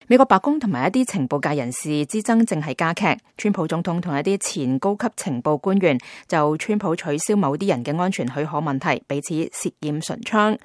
美國白宮同埋一啲情報界人士之爭正係加劇，川普總統同一啲前高級情報官員就川普取消某啲人嘅安全許可問題彼此舌劍唇槍。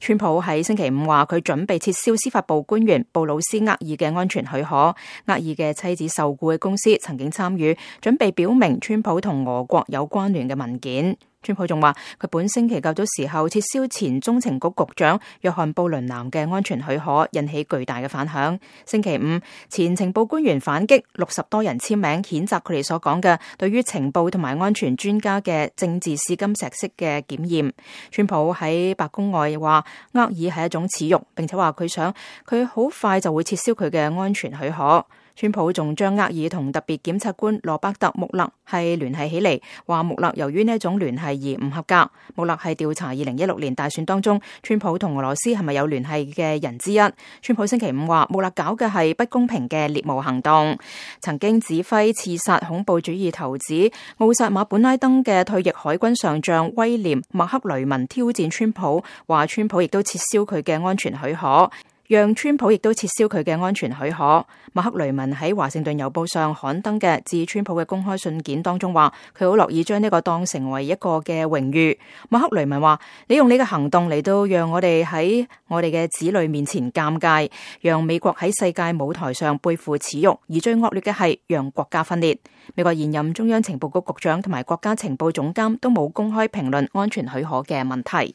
川普喺星期五話佢準備撤銷司法部官員布魯斯厄爾嘅安全許可，厄爾嘅妻子受僱嘅公司曾經參與，準備表明川普同俄國有關聯嘅文件。川普仲話佢本星期較早時候撤銷前中情局局長約翰布倫南嘅安全許可，引起巨大嘅反響。星期五，前情報官員反擊，60多人簽名譴責佢哋所講嘅對於情報同埋安全專家嘅政治試金石式嘅檢驗。川普喺白宮外話厄爾係一種恥辱，並且話佢想佢好快就會撤銷佢嘅安全許可。川普仲將厄爾同特別檢察官羅伯特穆勒係聯繫起嚟，話穆勒由於呢一種聯繫而唔合格。穆勒係調查2016年大選當中川普同俄羅斯係咪有聯繫嘅人之一。川普星期五話穆勒搞嘅係不公平嘅獵巫行動。曾經指揮刺殺恐怖主義頭子奧薩馬本拉登嘅退役海軍上將威廉麥克雷文挑戰川普，話川普亦都撤銷佢嘅安全許可。讓川普亦都撤銷佢嘅安全許可。麥克雷文喺華盛頓郵報上刊登嘅致川普嘅公開信件當中話，佢好樂意將呢個當成為一個嘅榮譽。麥克雷文話：你用你嘅行動嚟到讓我哋喺我哋嘅子女面前尷尬，讓美國喺世界舞台上背負恥辱，而最惡劣嘅係讓國家分裂。美國現任中央情報局局長同埋國家情報總監都冇公開評論安全許可嘅問題。